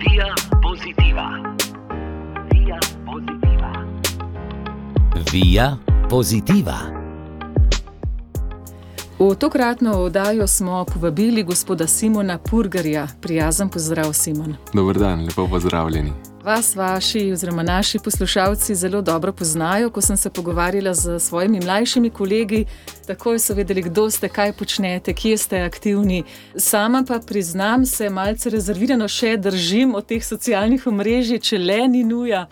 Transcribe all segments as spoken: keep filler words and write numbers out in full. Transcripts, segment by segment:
Via Positiva. Via Positiva. Via Positiva. V tokratno oddajo smo povabili gospoda Simona Purgarja. Prijazen pozdrav, Simon. Dober dan, lepo pozdravljeni. Vas, vaši oziroma naši poslušalci zelo dobro poznajo. Ko sem se pogovarjala z svojimi mlajšimi kolegi, takoj so vedeli, kdo ste, kaj počnete, kje ste aktivni. Sama pa priznam, se malce rezervirano še držim od teh socialnih omrežij, če le ni nuja.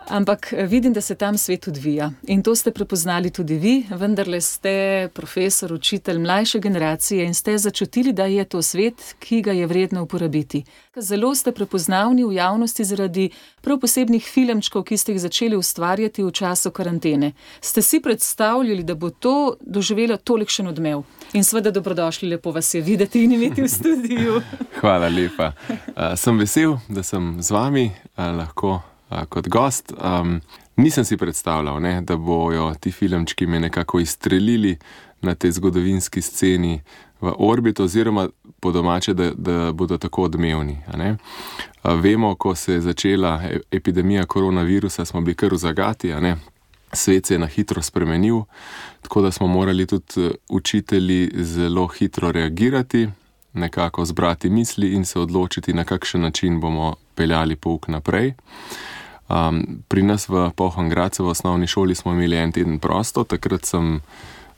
Ampak vidim, da se tam svet odvija. In to ste prepoznali tudi vi, vendarle ste profesor, učitelj mlajše generacije in ste začutili, da je to svet, ki ga je vredno uporabiti. Zelo ste prepoznavni v javnosti zaradi prav posebnih filmčkov, ki ste jih začeli ustvarjati v času karantene. Ste si predstavljali, da bo to doživelo tolikšen odmev? In seveda dobrodošli, lepo vas je videti in imeti v studiu. Hvala lepa. Uh, sem vesel, da sem z vami, uh, lahko uh, kot gost. Um, nisem si predstavljal, ne, da bojo ti filmčki me nekako izstrelili na tej zgodovinski sceni v orbit, oziroma po domače, da, da bodo tako odmevni. A ne? A vemo, ko se je začela epidemija koronavirusa, smo bili kar v zagati, a ne? Svet se je na hitro spremenil, tako da smo morali tudi učitelji zelo hitro reagirati, nekako zbrati misli in se odločiti, na kakšen način bomo peljali pouk naprej. Um, pri nas v Polham Gradcu v osnovni šoli smo imeli en teden prosto, takrat sem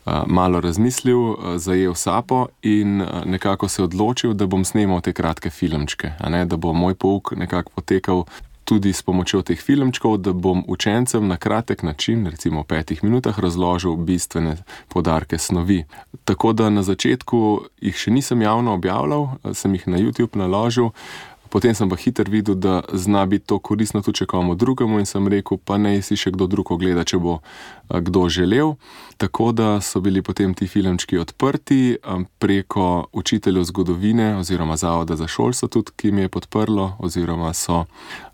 Uh, malo razmislil, uh, zajel sapo in uh, nekako se odločil, da bom snemal te kratke filmčke, a ne, da bo moj pouk nekako potekal tudi s pomočjo teh filmčkov, da bom učencem na kratek način, recimo v petih minutah, razložil bistvene poudarke snovi. Tako da na začetku jih še nisem javno objavljal, sem jih na YouTube naložil, potem sem pa hiter videl, da zna biti to koristno tudi komu drugemu in sem rekel, pa naj si še kdo drug ogleda, če bo kdo želel. Tako da so bili potem ti filmčki odprti preko učiteljev zgodovine oziroma Zavoda za šolstvo tudi, ki mi je podprlo oziroma so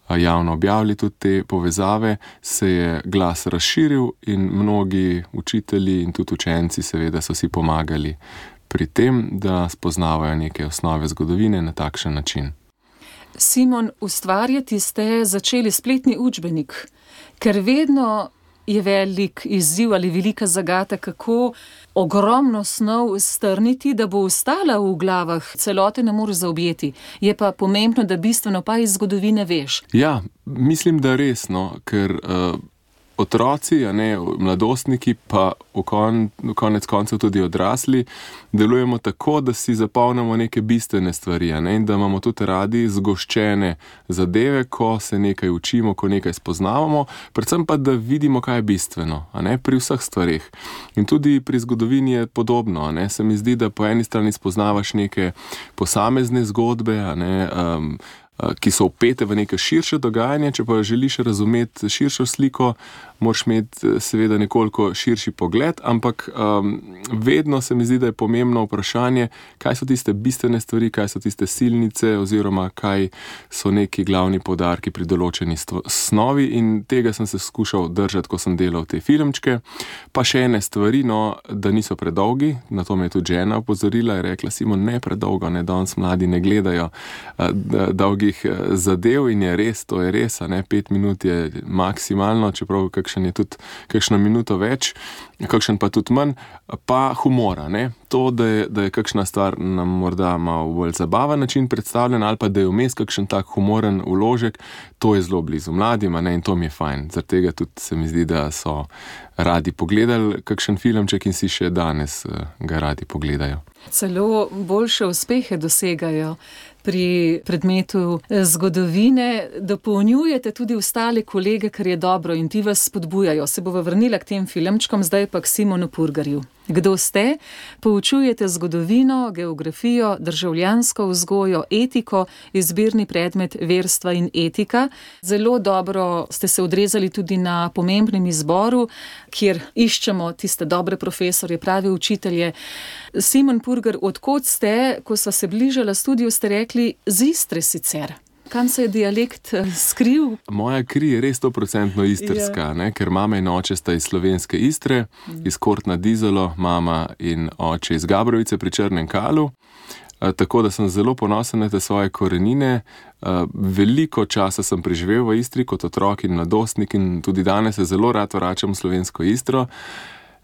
javno objavili tudi te povezave, se je glas razširil in mnogi učitelji in tudi učenci seveda so si pomagali pri tem, da spoznavajo neke osnove zgodovine na takšen način. Simon, ustvarjati ste začeli spletni učbenik, ker vedno je velik izziv ali velika zagata, kako ogromno snov strniti, da bo ostala v glavah, celote ne moreš zaobjeti. Je pa pomembno, da bistveno pa iz zgodovine veš. Ja, mislim, da resno, ker uh, otroci, a ne, mladostniki, pa v, kon, v konec koncev tudi odrasli, delujemo tako, da si zapolnimo neke bistvene stvari, a ne, in da imamo tudi radi zgoščene zadeve, ko se nekaj učimo, ko nekaj spoznavamo, predvsem pa, da vidimo, kaj je bistveno, a ne, pri vseh stvareh. In tudi pri zgodovini je podobno, a ne, se mi zdi, da po eni strani spoznavaš neke posamezne zgodbe, a ne, um, ki so vpete v neke širše dogajanje, če pa želiš razumeti širšo sliko, moraš imeti seveda nekoliko širši pogled, ampak um, vedno se mi zdi, da je pomembno vprašanje, kaj so tiste bistvene stvari, kaj so tiste silnice oziroma kaj so neki glavni poudarki pri določeni snovi, in tega sem se skušal držati, ko sem delal te filmčke. Pa še ene stvari, no, da niso predolgi, na to me je tudi žena opozorila in rekla, Simon, ne predolgo, ne, danes mladi ne gledajo uh, dolgi zadev, in je res, to je res, a ne, pet minut je maksimalno, čeprav kakšen je tudi kakšno minuto več, kakšen pa tudi manj, pa humora, ne, to, da je, da je kakšna stvar nam morda malo bolj zabaven način predstavljen, ali pa da je vmes kakšen tak humoren vložek, to je zelo blizu mladim, a ne, in to mi je fajn, zaradi tega tudi se mi zdi, da so radi pogledali kakšen filmček in si še danes ga radi pogledajo. Celo boljše uspehe dosegajo pri predmetu zgodovine, dopolnjujete tudi ostale kolege, kar je dobro, in ti vas spodbujajo. Se bova vrnila k tem filmčkom, zdaj pa k Simonu Purgarju. Kdo ste? Poučujete zgodovino, geografijo, državljansko vzgojo, etiko, izbirni predmet verstva in etika. Zelo dobro ste se odrezali tudi na pomembnem izboru, kjer iščemo tiste dobre profesorje, prave učitelje. Simon Purgar, odkot ste, ko sva se bližala studiu, ste rekli, z Istre sicer. Kam se je dialekt skril? Moja kri je res sto procentno istrska, ne? Ker mama in oče sta iz slovenske Istre, iz Kort nad Izolo, mama in oče iz Gabrovice pri Črnem Kalu. tako da sem zelo ponosen na te svoje korenine. Veliko časa sem preživel v Istri kot otrok in mladostnik in tudi danes se zelo rad vračam v slovensko Istro.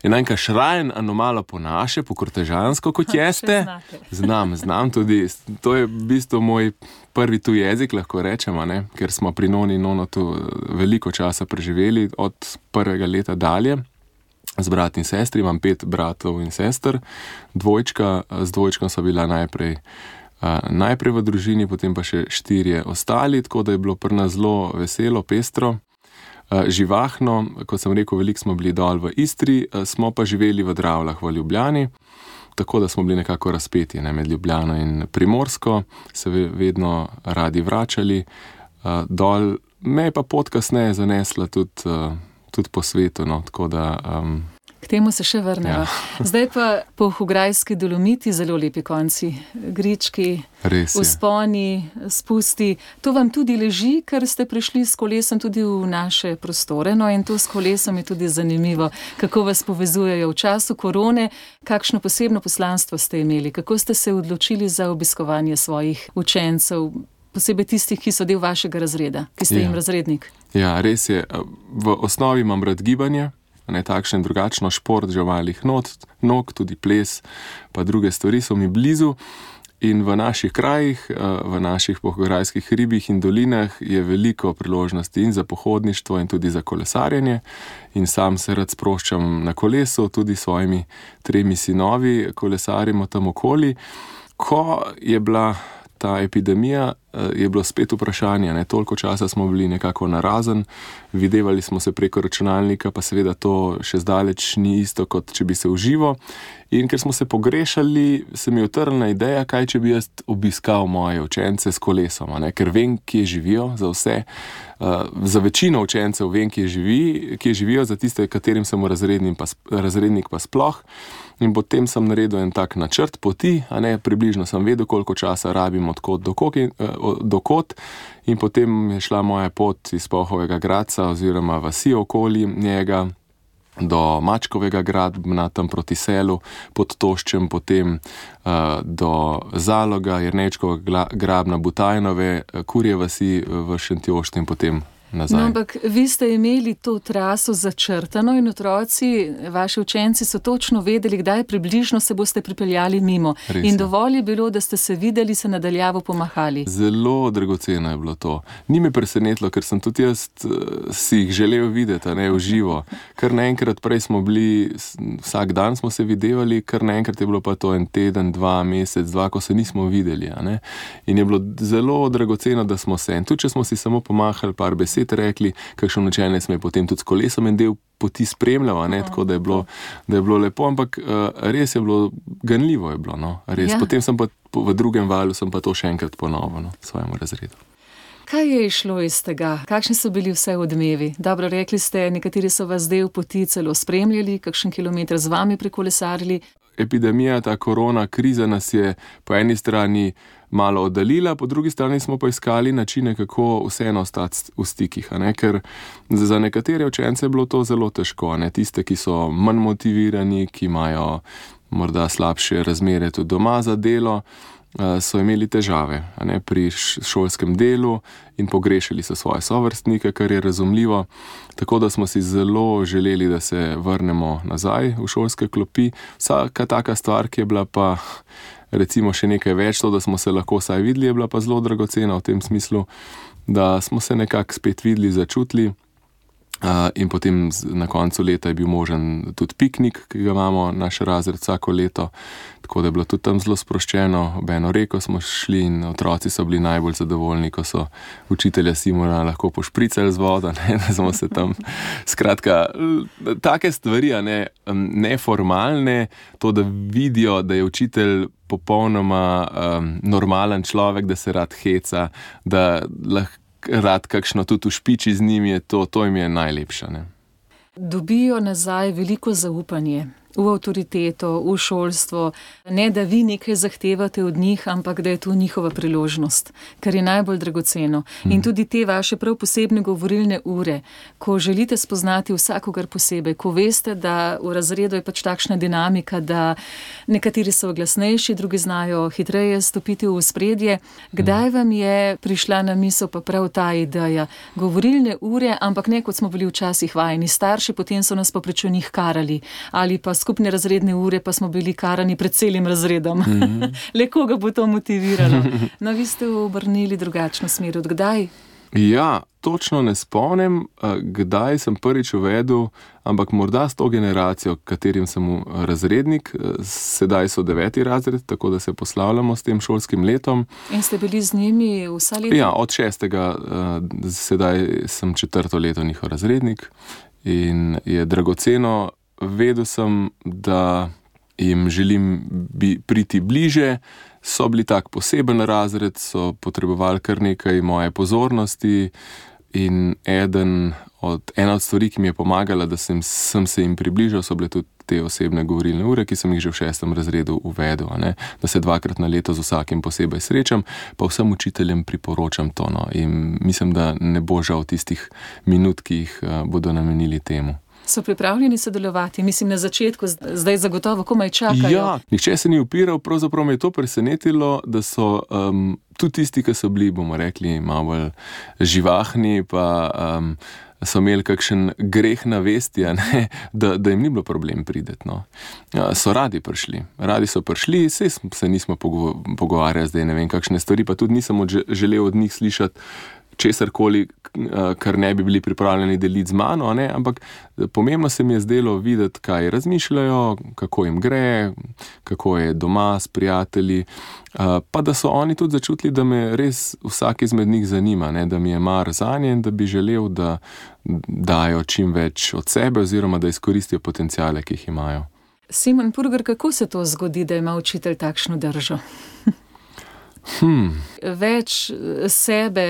Je najka šrajen anomalo po naše, po kortežansko, kot jeste. Znam, znam tudi. To je v bistvu moj prvi tuj jezik, lahko rečemo, ne? Ker smo pri noni in nono tu veliko časa preživeli od prvega leta dalje. Z brat in sestri, imam pet bratov in sester, dvojčka, z dvojčkom so bila najprej, uh, najprej v družini, potem pa še štirje ostali, tako da je bilo pri nas zelo veselo, pestro. Živahno, kot sem rekel, veliko smo bili dol v Istri, smo pa živeli v Dravljah v Ljubljani, tako da smo bili nekako razpeti, ne, med Ljubljano in Primorsko, se vedno radi vračali dol. Me je pa pot kasneje zanesla tudi, tudi po svetu, no, tako da... Um, K temu se še vrnemo. Ja. Zdaj pa Polhograjski Dolomiti, zelo lepi konci, grički, vzponi, spusti. To vam tudi leži, ker ste prišli s kolesom tudi v naše prostore, no in to s kolesom je tudi zanimivo, kako vas povezujejo v času korone, kakšno posebno poslanstvo ste imeli, kako ste se odločili za obiskovanje svojih učencev, posebej tistih, ki so del vašega razreda, ki ste ja. jim razrednik. Ja, res je. V osnovi imam rad gibanje, ne, takšen drugačno šport, že malih not, nog, tudi ples, pa druge stvari so mi blizu. In v naših krajih, v naših polhograjskih hribih in dolinah je veliko priložnosti in za pohodništvo in tudi za kolesarjenje. In sam se rad sproščam na kolesu, tudi s svojimi tremi sinovi kolesarimo tam okoli. Ko je bila ta epidemija, je bilo spet vprašanje, ne, toliko časa smo bili nekako narazen, videvali smo se preko računalnika, pa seveda to še zdaleč ni isto, kot če bi se uživo. In ker smo se pogrešali, se mi je utrnila ideja, kaj če bi jaz obiskal moje učence s kolesom, ne, ker vem, kje živijo, za vse, uh, za večino učencev vem, kje, živi, kje živijo, za tiste, katerim sem razrednik pa, razrednik pa sploh. In potem sem naredil en tak načrt poti, a ne, približno sem vedel, koliko časa rabim od kod do kod, do kod, in potem je šla moja pot iz Polhovega Gradca oziroma vasi okoli njega do Mačkovega Grabna, tam proti Selu, pod Toščem, potem uh, do Zaloga, Jernečkovega Grabna, Butajnove, Kurje vasi v Šentjoštu in potem nazaj. No, ampak vi ste imeli to traso začrtano in otroci, vaši učenci so točno vedeli, kdaj približno se boste pripeljali mimo. Res in je. Dovolj je bilo, da ste se videli, se nadaljavo pomahali. Zelo dragoceno je bilo to. Ni me presenetilo, ker sem tudi jaz uh, si jih želel videti, ne, v živo. Kar naenkrat prej smo bili, vsak dan smo se videvali, kar naenkrat je bilo pa to en teden, dva, mesec, dva, ko se nismo videli. A ne. In je bilo zelo dragoceno, da smo se. In tudi, če smo si samo pomahali par besed, rekli, kakšen učenec me je potem tudi s kolesom en del poti spremljal, ne, tako da je bilo, da je bilo lepo, ampak uh, res je bilo, ganljivo je bilo, no, res. Ja. Potem sem pa v drugem valu sem pa to še enkrat ponovil, no, svojemu razredu. Kaj je išlo iz tega? Kakšni so bili vse odmevi? Dobro, rekli ste, nekateri so vas del poti celo spremljali, kakšen kilometer z vami prekolesarili. Epidemija, ta korona kriza nas je po eni strani malo oddaljila, po drugi strani smo pa iskali načine, kako vseeno ostati v stikih, a ne? Ker za nekatere učence je bilo to zelo težko, a ne? Tiste, ki so manj motivirani, ki imajo morda slabše razmere tudi doma za delo, so imeli težave, a ne, pri šolskem delu in pogrešali so svoje sovrstnike, kar je razumljivo. Tako da smo si zelo želeli, da se vrnemo nazaj v šolske klopi. Vsaka taka stvar, ki je bila pa recimo še nekaj več, to, da smo se lahko vsaj videli, je bila pa zelo dragocena v tem smislu, da smo se nekako spet videli, začutili. Uh, in potem na koncu leta je bil možen tudi piknik, ki ga imamo naš razred vsako leto, tako da je bilo tudi tam zelo sproščeno. Ob eno reko smo šli in otroci so bili najbolj zadovoljni, ko so učitelja Simona lahko pošpricali z vodo, ne, da smo se tam, skratka, take stvari, a ne, neformalne, to, da vidijo, da je učitelj popolnoma um, normalen človek, da se rad heca, da lahko rad kakšno tudi v špiči z njim, je to, to jim je najlepše. Ne? Dobijo nazaj veliko zaupanje v avtoriteto, v šolstvo. Ne, da vi nekaj zahtevate od njih, ampak da je to njihova priložnost, kar je najbolj dragoceno. In tudi te vaše prav posebne govorilne ure, ko želite spoznati vsakogar posebej, ko veste, da v razredu je pač takšna dinamika, da nekateri so glasnejši, drugi znajo hitreje stopiti v ospredje. Kdaj vam je prišla na misel pa prav ta ideja? Govorilne ure, ampak ne kot smo bili včasih vajeni. Starši potem so nas pa prečo njih karali. Ali pa skupne razredne ure, pa smo bili karani pred celim razredom. Mm-hmm. Le koga bo to motiviralo? No, vi ste obrnili drugačno smer. Od kdaj? Ja, točno ne spomnim, kdaj sem prvič uvedel, ampak morda s to generacijo, katerim sem razrednik, sedaj so deveti razred, tako da se poslavljamo s tem šolskim letom. In ste bili z njimi vsa leta? Ja, od šestega, sedaj sem četrto leto njihov razrednik in je dragoceno. Vedel sem, da jim želim bi, priti bliže, so bili tak poseben razred, so potrebovali kar nekaj moje pozornosti in eden od, ena od stvari, ki mi je pomagala, da sem, sem se jim približal, so bile tudi te osebne govorilne ure, ki sem jih že v šestem razredu uvedel, ne? Da se dvakrat na leto z vsakim posebej srečam, pa vsem učiteljem priporočam to. No? In mislim, da ne bo žal tistih minut, ki jih uh, bodo namenili temu. So pripravljeni sodelovati? Mislim, na začetku, zdaj zagotovo komaj čakajo. Ja, nihče se ni upiral, pravzaprav me je to presenetilo, da so um, tudi tisti, ki so bili, bomo rekli, malo bolj živahni, pa um, so imeli kakšen greh na vesti, ne, da, da jim ni bilo problem priti. No. Ja, so radi prišli, radi so prišli, saj se nismo pogovarjali zdaj, ne vem, kakšne stvari, pa tudi nisem od, želel od njih slišati česarkoli, kar ne bi bili pripravljeni deliti z mano, ne? Ampak pomembno se mi je zdelo videti, kaj razmišljajo, kako jim gre, kako je doma s prijatelji, pa da so oni tudi začutili, da me res vsak izmed njih zanima, ne? Da mi je mar zanje in da bi želel, da dajo čim več od sebe oziroma da izkoristijo potencijale, ki jih imajo. Simon Purgar, kako se to zgodi, da ima učitelj takšno držo? Hmm. Več sebe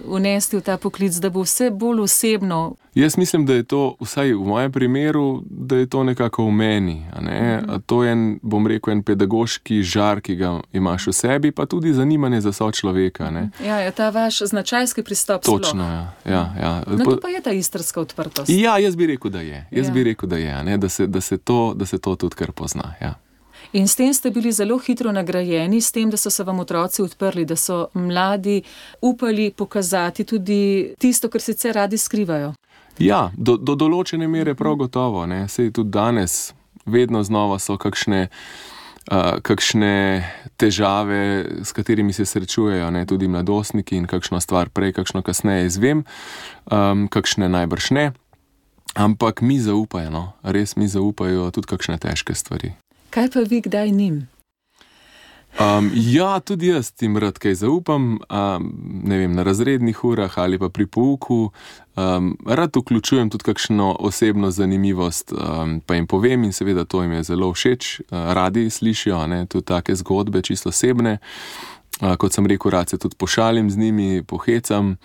vnesti v ta poklic, da bo vse bolj osebno. Jaz mislim, da je to, vsaj v mojem primeru, da je to nekako v meni. A ne? A to je, en, bom rekel, en pedagoški žar, ki ga imaš v sebi, pa tudi zanimanje za sočloveka. Ne? Ja, je ta vaš značajski pristop. Točno, sploh. ja. ja, ja. No, to pa je ta istrska odprtost. Ja, jaz bi rekel, da je. Jaz ja. bi rekel, da je, ne? Da, se, da, se to, da se to tudi kar pozna, ja. In s tem ste bili zelo hitro nagrajeni, s tem, da so se vam otroci odprli, da so mladi upali pokazati tudi tisto, kar sicer radi skrivajo. Ja, do, do določene mere prav gotovo. Ne. Sej tudi danes vedno znova so kakšne, uh, kakšne težave, s katerimi se srečujejo, ne, tudi mladostniki in kakšno stvar prej, kakšno kasneje izvem, um, kakšne najbrž ne. Ampak mi zaupajo, no. Res mi zaupajo tudi kakšne težke stvari. Kaj pa vi kdaj njim? Um, ja, tudi jaz jim rad kaj zaupam, um, ne vem, na razrednih urah ali pa pri pouku. Um, rad vključujem tudi kakšno osebno zanimivost, um, pa jim povem in seveda to jim je zelo všeč. Uh, radi slišijo, ne, tudi take zgodbe, čisto osebne. Uh, kot sem rekel, rad se tudi pošalim z njimi, pohecam. Uh,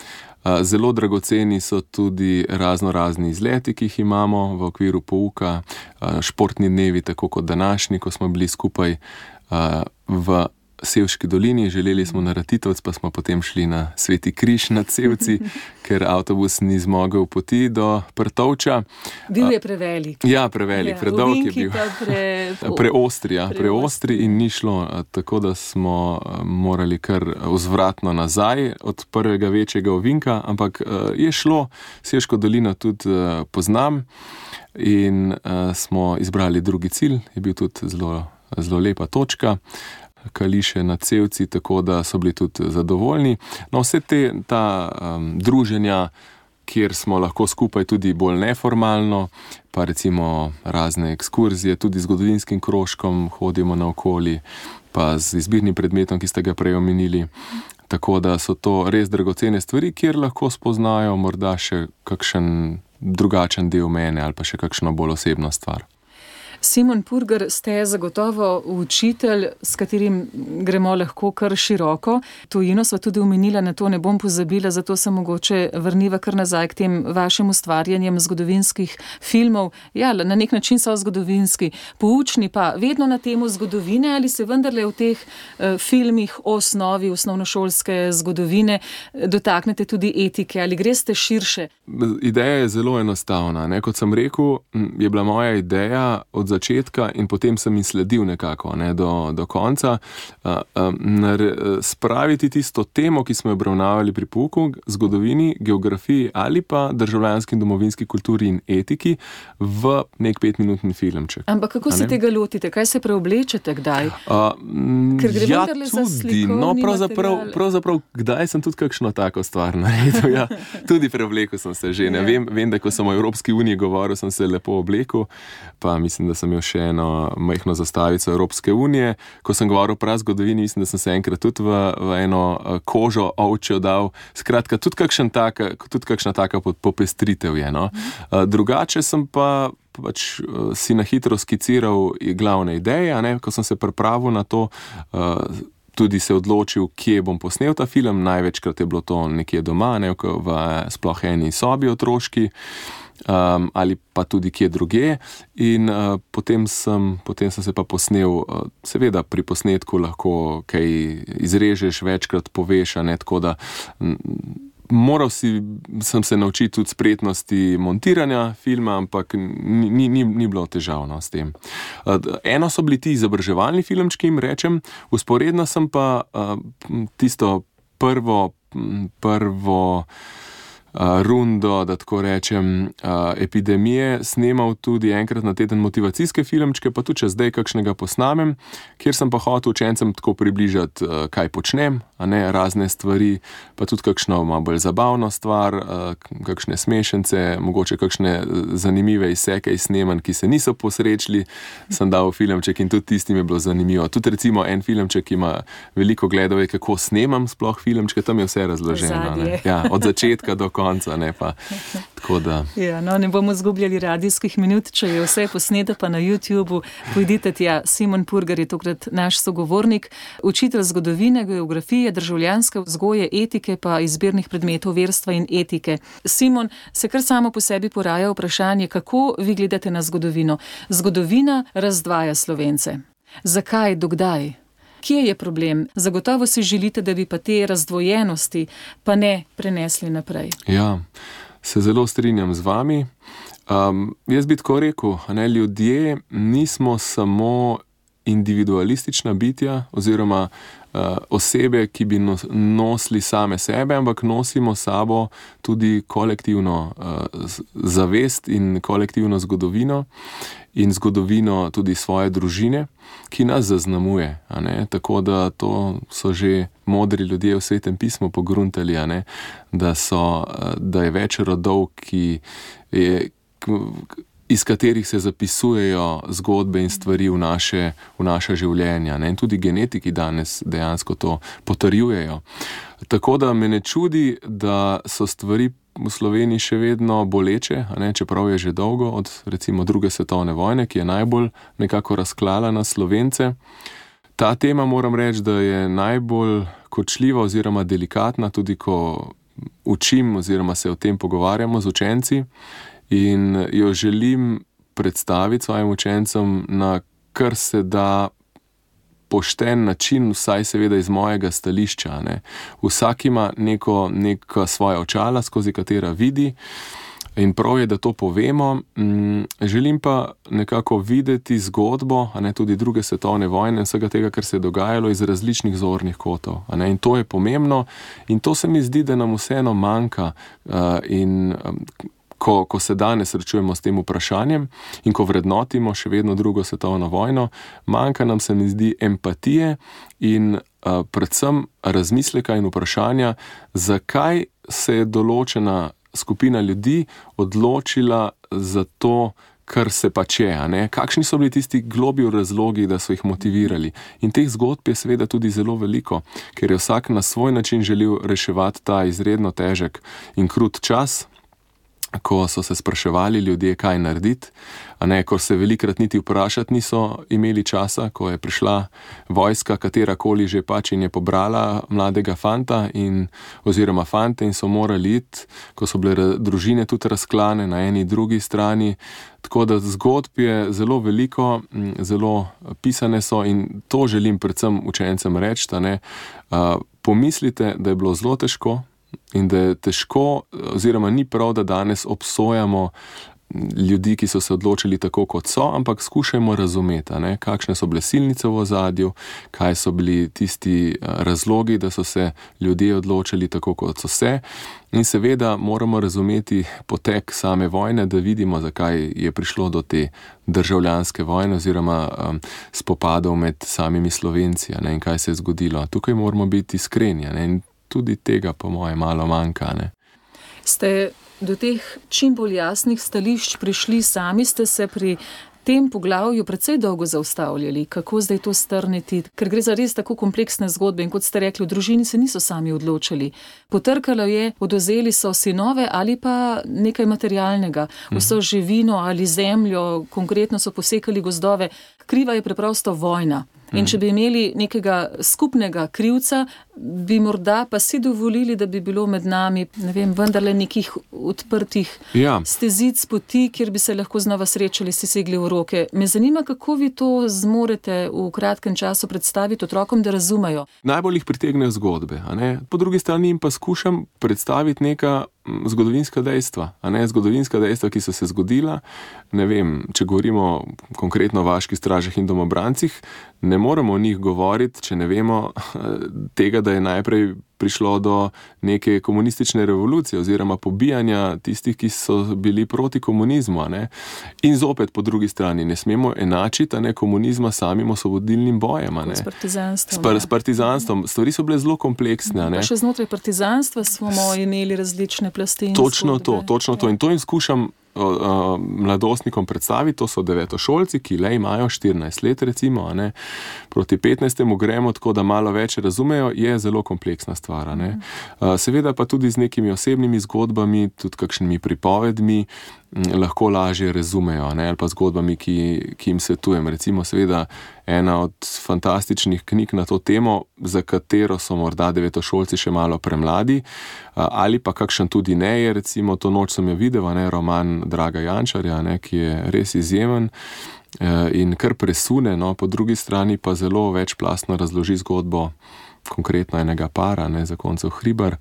zelo dragoceni so tudi razno razni izleti, ki jih imamo v okviru pouka, uh, športni dnevi, tako kot današnji, ko smo bili skupaj uh, v Sevški dolini, želeli smo na Ratitovec, pa smo potem šli na Sveti križ nad Sevci, ker avtobus ni zmogel poti do Prtovča. Bil je prevelik. Ja, prevelik, ja, predolg je bil. Pre... Preostri, ja, preostri in ni šlo, tako da smo morali kar vzvratno nazaj od prvega večjega ovinka, ampak je šlo, Sevško dolino tudi poznam in smo izbrali drugi cilj, je bil tudi zelo, zelo lepa točka. Kališe nad Sevci, tako da so bili tudi zadovoljni. No, vse te, ta um, druženja, kjer smo lahko skupaj tudi bolj neformalno, pa recimo razne ekskurzije, tudi z zgodovinskim krožkom hodimo naokoli, pa z izbirnim predmetom, ki ste ga prej omenili. Tako da so to res dragocene stvari, kjer lahko spoznajo morda še kakšen drugačen del mene ali pa še kakšno bolj osebno stvar. Simon Purgar, ste zagotovo učitelj, s katerim gremo lahko kar široko. Tujino sva tudi omenila, na to ne bom pozabila, zato se mogoče vrniva kar nazaj k tem vašim ustvarjanjem zgodovinskih filmov. Ja, na nek način so zgodovinski, poučni pa vedno na temu zgodovine, ali se vendarle v teh uh, filmih o osnovi osnovnošolske zgodovine dotaknete tudi etike, ali greste širše? Ideja je zelo enostavna. Ne? Kot sem rekel, je bila moja ideja od začetka in potem sem jim sledil nekako ne? do, do konca. Uh, um, spraviti tisto temo, ki smo jo obravnavali pri pouku, zgodovini, geografiji ali pa državljanski in domovinski kulturi in etiki v nek petminutni filmček. Ampak kako se tega lotite? Kaj se preoblečete kdaj? Uh, Ker gre ja, vendarle za tudi. slikovni No, pravzaprav, material. pravzaprav, kdaj sem tudi kakšno tako stvar naredil. Ja, tudi preoblekel sem se že. Ne? Ja. Vem, vem, da ko sem o Evropski uniji govoril, sem se lepo oblekel, pa mislim, da sem imel še eno majhno zastavico Evropske unije. Ko sem govoril o prazgodovini, mislim, da sem se enkrat tudi v, v eno kožo ovčjo dal. Skratka, tudi, kakšen taka, tudi kakšna taka popestritev je. No? Drugače sem pa pač si na hitro skiciral glavne ideje, ne? Ko sem se pripravil na to, tudi se odločil, kje bom posnel ta film. Največkrat je bilo to nekje doma, ne, v sploh eni sobi otroški, um, ali pa tudi kje druge. In uh, potem, sem, potem sem se pa posnel, uh, seveda pri posnetku lahko kaj izrežeš, večkrat poveš, ne, tako da m, moral si, sem se naučiti tudi spretnosti montiranja filma, ampak ni, ni, ni, ni bilo težavno s tem. Eno so bili ti izobraževalni filmčki, jim rečem, usporedno sem pa uh, tisto prvo, prvo uh, rundo, da tako rečem, uh, epidemije snemal tudi enkrat na teden motivacijske filmčke, pa tudi če zdaj kakšnega posnamem, kjer sem pa hotel učencem tako približati, uh, kaj počnem, a ne, razne stvari, pa tudi kakšno malo bolj zabavno stvar, kakšne smešence, mogoče kakšne zanimive izseke iz snemanj, ki se niso posrečili, sem dal filmček in tudi tistim je bilo zanimivo. Tudi recimo en filmček, ki ima veliko gledov, je kako snemam sploh filmčke, tam je vse razloženo. Ne? Ja, od začetka do konca, ne pa tako da. Ja, no, ne bomo zgubljali radijskih minut, če je vse posneto pa na YouTubeu, pojdite tja. Simon Purgar je tokrat naš sogovornik, učitelj zgodovine, geografije, državljanske vzgoje, etike pa izbirnih predmetov verstva in etike. Simon, se kar samo po sebi poraja vprašanje, kako vi gledate na zgodovino? Zgodovina razdvaja Slovence. Zakaj, dokdaj? Kje je problem? Zagotovo si želite, da bi pa te razdvojenosti pa ne prenesli naprej. Ja, se zelo strinjam z vami. Um, jaz bi tako rekel, ne, ljudje nismo samo individualistična bitja oziroma uh, osebe, ki bi nos, nosili same sebe, ampak nosimo sabo tudi kolektivno uh, zavest in kolektivno zgodovino in zgodovino tudi svoje družine, ki nas zaznamuje. A ne? Tako da to so že modri ljudje v Svetem pismu pogruntali, a ne? Da, so, da je več rodov, ki je iz katerih se zapisujejo zgodbe in stvari v naše, v naša življenja. Ne? In tudi genetiki danes dejansko to potrjujejo. Tako da me ne čudi, da so stvari v Sloveniji še vedno boleče, a ne? Čeprav je že dolgo od recimo druge svetovne vojne, ki je najbolj nekako razklala na Slovence. Ta tema, moram reči, da je najbolj kočljiva oziroma delikatna, tudi ko učim oziroma se o tem pogovarjamo z učenci. In jo želim predstaviti svojim učencem na kar se da pošten način, vsaj seveda iz mojega stališča. Ne. Vsak ima neko, neka svoja očala, skozi katera vidi, in prav je, da to povemo. Želim pa nekako videti zgodbo, a ne, tudi druge svetovne vojne in vsega tega, kar se je dogajalo, iz različnih zornih kotov. A ne. In to je pomembno in to se mi zdi, da nam vseeno manjka. Uh, in um, Ko, ko se danes srečujemo s tem vprašanjem in ko vrednotimo še vedno drugo svetovno vojno, manjka nam, se mi zdi, empatije in uh, predvsem razmisleka in vprašanja, zakaj se je določena skupina ljudi odločila za to, kar se pač je, a ne? Kakšni so bili tisti globlji razlogi, da so jih motivirali. In teh zgodb je seveda tudi zelo veliko, ker je vsak na svoj način želel reševati ta izredno težek in krut čas. ko so se spraševali ljudje, kaj narediti, a ne, ko se velikrat niti vprašati niso imeli časa, ko je prišla vojska, katerakoli že pač, in je pobrala mladega fanta in, oziroma fante in so morali iti, ko so bile družine tudi razklane na eni drugi strani. Tako da zgodb je zelo veliko, zelo pisane so in to želim predvsem učencem reči, da ne, uh, pomislite, da je bilo zelo težko in da je težko, oziroma ni prav, da danes obsojamo ljudi, ki so se odločili tako, kot so, ampak skušajmo razumeti, ne, kakšne so bile silnice v ozadju, kaj so bili tisti razlogi, da so se ljudje odločili tako, kot so se. In seveda moramo razumeti potek same vojne, da vidimo, zakaj je prišlo do te državljanske vojne oziroma um, spopadov med samimi Slovenci, ne, in kaj se je zgodilo. Tukaj moramo biti iskreni, ne, in tudi tega po moje malo manjka. Ne. Ste do teh čim bolj jasnih stališč prišli sami, ste se pri tem poglavju precej dolgo zaustavljali. Kako zdaj to strniti? Ker gre za res tako kompleksne zgodbe in kot ste rekli, v družini se niso sami odločili. Potrkalo je, odvzeli so sinove ali pa nekaj materialnega, vso živino ali zemljo, konkretno so posekali gozdove. Kriva je preprosto vojna. In če bi imeli nekega skupnega krivca, bi morda pa si dovolili, da bi bilo med nami, ne vem, vendarle nekih odprtih ja. stezic, poti, kjer bi se lahko znova srečali, si segli v roke. Me zanima, kako vi to zmorete v kratkem času predstaviti otrokom, da razumejo. Najbolj jih pritegnejo zgodbe, a ne? Po drugi strani jim pa skušam predstaviti neka zgodovinska dejstva, a ne, zgodovinska dejstva, ki so se zgodila. Ne vem, če govorimo konkretno o vaških stražah in domobrancih, ne moremo o njih govoriti, če ne vemo tega, da je najprej prišlo do neke komunistične revolucije oziroma pobijanja tistih, ki so bili proti komunizmu. A ne. In zopet po drugi strani ne smemo enačiti, a ne, komunizma s samim osvobodilnim bojem. A ne. S partizanstvom. S, par, s partizanstvom. Stvari so bile zelo kompleksne. A ne. Pa še znotraj partizanstva smo imeli različne plasti in Točno zgodbe. to, točno to. In to jim skušam Uh, mladostnikom predstaviti, to so devetošolci, ki le imajo štirinajst let recimo, a ne, proti petnajstemu gremo, tako da malo več razumejo, je zelo kompleksna stvar, a ne. Uh, seveda pa tudi z nekimi osebnimi zgodbami, tudi kakšnimi pripovedmi m, lahko lažje razumejo, ne, ali pa zgodbami, ki, ki jim svetujem. Recimo seveda ena od fantastičnih knjig na to temo, za katero so morda devetošolci še malo premladi, uh, ali pa kakšen tudi ne je, recimo To noč sem jo videl, ne, roman Draga Jančarja, ne, ki je res izjemen in kar presune, no, po drugi strani pa zelo večplastno razloži zgodbo konkretno enega para, ne, zakoncev Hribar,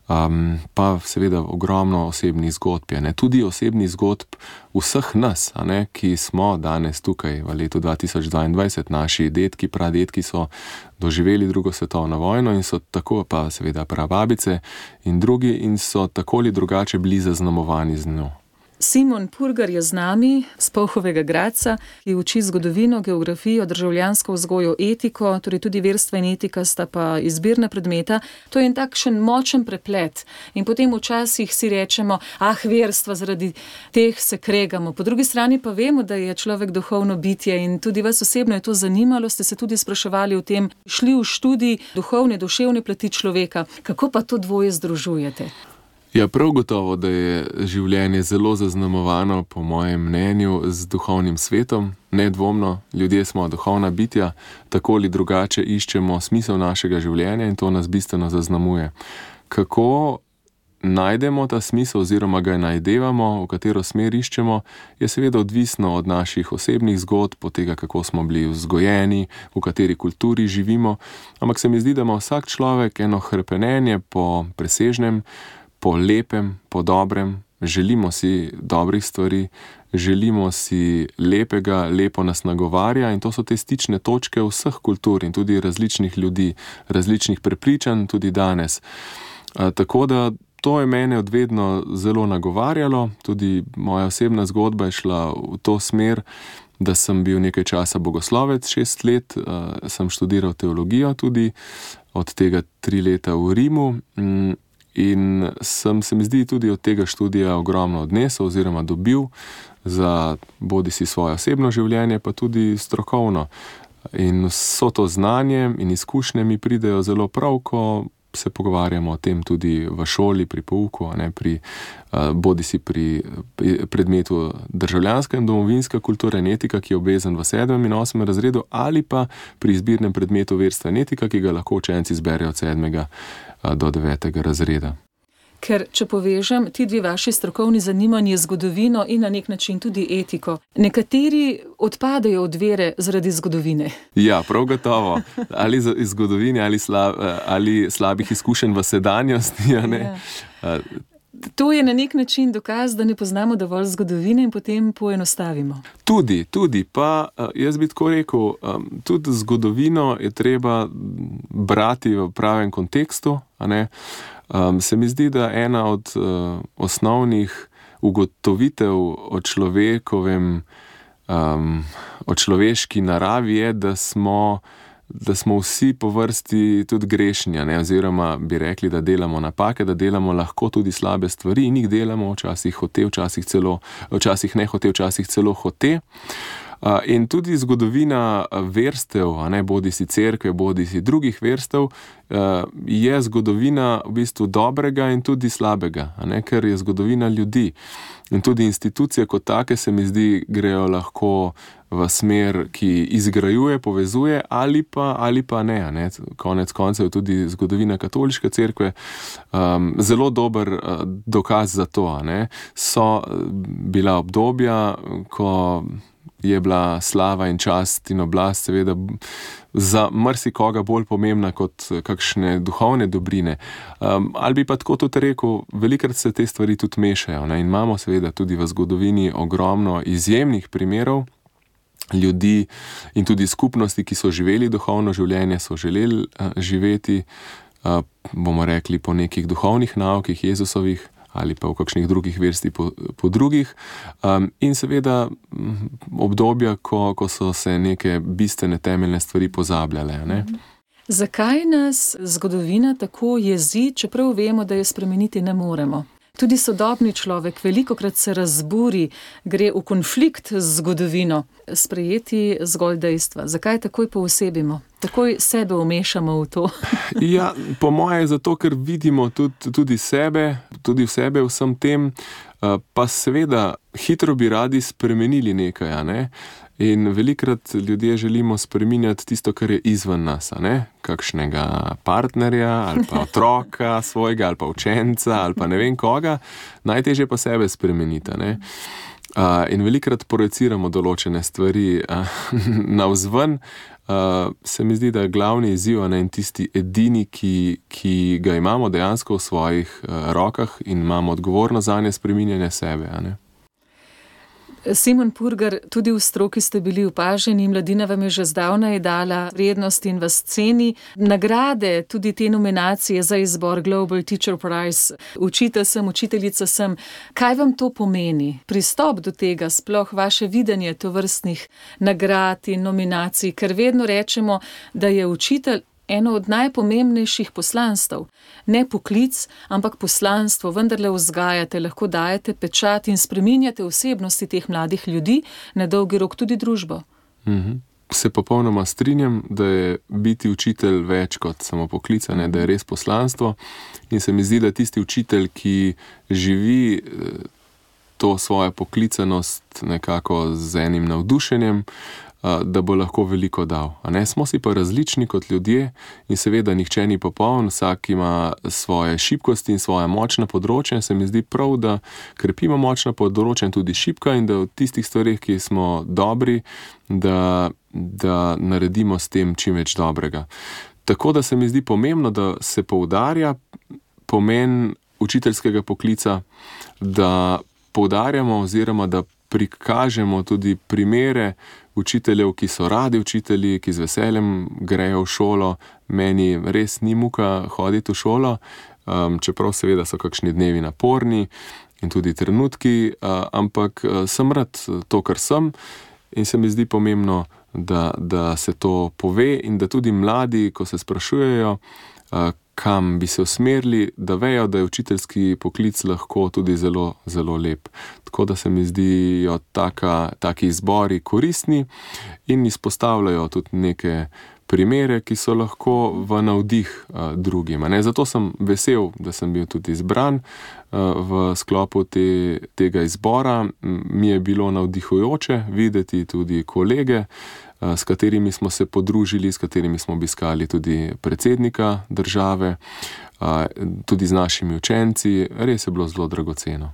um, pa seveda ogromno osebnih zgodb je, ne, tudi osebnih zgodb vseh nas, a ne, ki smo danes tukaj v letu dva tisoč dvaindvajset, naši dedki, pradedki so doživeli drugo svetovno vojno in so tako, pa seveda prababice in drugi, in so tako ali drugače bili zaznamovani z njo. Simon Purgar je z nami, z Polhovega Gradca, ki uči zgodovino, geografijo, državljansko vzgojo, etiko, torej tudi verstva in etika sta pa izbirna predmeta. To je en takšen močen preplet. In potem včasih si rečemo, ah, verstva, zaradi teh se kregamo. Po drugi strani pa vemo, da je človek duhovno bitje in tudi vas osebno je to zanimalo, ste se tudi spraševali o tem, šli v študij duhovne, duševne plati človeka. Kako pa to dvoje združujete? Ja, prav gotovo, da je življenje zelo zaznamovano, po mojem mnenju, z duhovnim svetom. Nedvomno, ljudje smo duhovna bitja, tako ali drugače iščemo smisel našega življenja in to nas bistveno zaznamuje. Kako najdemo ta smisel oziroma ga najdevamo, v katero smer iščemo, je seveda odvisno od naših osebnih zgodb, od tega, kako smo bili vzgojeni, v kateri kulturi živimo. Ampak se mi zdi, da ima vsak človek eno hrepenenje po presežnem, po lepem, po dobrem, želimo si dobrih stvari, želimo si lepega, lepo nas nagovarja in to so te stične točke vseh kultur in tudi različnih ljudi, različnih prepričanj tudi danes. A, tako da to je mene odvedno zelo nagovarjalo, tudi moja osebna zgodba je šla v to smer, da sem bil nekaj časa bogoslovec, šest let, a, sem študiral teologijo tudi, od tega tri leta v Rimu, m, in sem se mi zdi tudi od tega študija ogromno odnesel oziroma dobil za bodi si svoje osebno življenje, pa tudi strokovno. In vso to znanje in izkušnje mi pridejo zelo prav, ko se pogovarjamo o tem tudi v šoli, pri pouku, ne, pri, bodi si pri predmetu državljanska in domovinska kultura in etika, ki je obvezen v sedmem in osmem razredu, ali pa pri izbirnem predmetu verstva in etika, ki ga lahko učenci izberejo od sedmega do devetega razreda. Ker, če povežem, ti dve vaši strokovni zanimanji zgodovino in na nek način tudi etiko, nekateri odpadajo od vere zaradi zgodovine. Ja, prav gotovo. Ali iz zgodovine, ali, slab, ali slabih izkušenj v sedanjosti, a ne. Ja. To je na nek način dokaz, da ne poznamo dovolj zgodovine in potem poenostavimo. Tudi, tudi, pa jaz bi tako rekel, tudi zgodovino je treba brati v pravem kontekstu, a ne. Um, se mi zdi, da ena od uh, osnovnih ugotovitev o človekovem, um, o človeški naravi je, da smo, da smo vsi po vrsti tudi grešni, ne? Oziroma bi rekli, da delamo napake, da delamo lahko tudi slabe stvari in jih delamo včasih hote, včasih celo, včasih ne hote, včasih celo hote. Uh, in tudi zgodovina verstev, a ne, bodi si cerkve, bodi si drugih verstev, uh, je zgodovina v bistvu dobrega in tudi slabega, a ne, ker je zgodovina ljudi. In tudi institucije kot take se mi zdi grejo lahko v smer, ki izgrajuje, povezuje ali pa, ali pa ne, a ne. Konec koncev je tudi zgodovina katoliške cerkve um, zelo dober uh, dokaz za to, a ne. So bila obdobja, ko je bila slava in čast in oblast seveda za marsikoga bolj pomembna kot kakšne duhovne dobrine. Um, ali bi pa tako tudi rekel, velikrat se te stvari tudi mešajo, ne? In imamo seveda tudi v zgodovini ogromno izjemnih primerov ljudi in tudi skupnosti, ki so živeli duhovno življenje, so želeli uh, živeti, uh, bomo rekli, po nekih duhovnih naukih Jezusovih, ali pa v kakšnih drugih verstih po, po drugih. Um, in seveda obdobja, ko, ko so se neke bistvene temeljne stvari pozabljale. Ne? Zakaj nas zgodovina tako jezi, čeprav vemo, da jo spremeniti ne moremo? Tudi sodobni človek velikokrat se razburi, gre v konflikt z zgodovino, sprejeti zgolj dejstva. Zakaj takoj poosebimo? Takoj sebe umešamo v to? Ja, po moje je zato, ker vidimo tudi, tudi sebe, tudi v sebe vsem tem, pa seveda hitro bi radi spremenili nekaj, a ne? In velikrat ljudje želimo spreminjati tisto, kar je izven nas, a ne? Kakšnega partnerja, ali pa otroka svojega, ali pa učenca, ali pa ne vem koga. Najtežje pa sebe spremeniti, a ne? Uh, in velikrat projeciramo določene stvari uh, navzven. Uh, se mi zdi, da je glavni izziv, ne, in tisti edini, ki, ki ga imamo dejansko v svojih uh, rokah in imamo odgovornost zanje, spreminjanje sebe, a ne? Simon Purgar, tudi v stroki ste bili opaženi, mladina vam je že zdavnaj dala vrednost in vas ceni. Nagrade, tudi te nominacije za izbor Global Teacher Prize, učitelj sem, učiteljica sem. Kaj vam to pomeni? Pristop do tega, sploh vaše videnje tovrstnih nagrad in nominacij, ker vedno rečemo, da je učitelj eno od najpomembnejših poslanstv. Ne poklic, ampak poslanstvo, vendarle vzgajate, lahko dajete pečat in spreminjate osebnosti teh mladih ljudi, na dolgi rok tudi družbo. Mhm. Se popolnoma strinjam, da je biti učitelj več kot samo poklic, ne, da je res poslanstvo. In se mi zdi, da tisti učitelj, ki živi to svojo poklicanost nekako z enim navdušenjem, da bo lahko veliko dal. A ne? Smo si pa različni kot ljudje in seveda nihče ni popoln, vsak ima svoje šibkosti in svoja močna področja. Se mi zdi prav, da krepimo močna področja in tudi šibka in da v tistih stvarih, ki smo dobri, da, da naredimo s tem čim več dobrega. Tako da se mi zdi pomembno, da se poudarja pomen učiteljskega poklica, da poudarjamo oziroma da prikažemo tudi primere učiteljev, ki so radi učitelji, ki z veseljem grejo v šolo. Meni res ni muka hoditi v šolo, um, čeprav seveda so kakšni dnevi naporni in tudi trenutki, uh, ampak uh, sem rad to, kar sem, in se mi zdi pomembno, da, da se to pove in da tudi mladi, ko se sprašujejo, uh, kam bi se usmerili, da vejo, da je učiteljski poklic lahko tudi zelo, zelo lep. Tako da se mi zdijo taka, taki izbori koristni in izpostavljajo tudi neke primere, ki so lahko v navdih uh, drugim. Ne? Zato sem vesel, da sem bil tudi izbran uh, v sklopu te, tega izbora. Mi je bilo navdihujoče videti tudi kolege, uh, s katerimi smo se podružili, s katerimi smo obiskali tudi predsednika države, uh, tudi z našimi učenci. Res je bilo zelo dragoceno.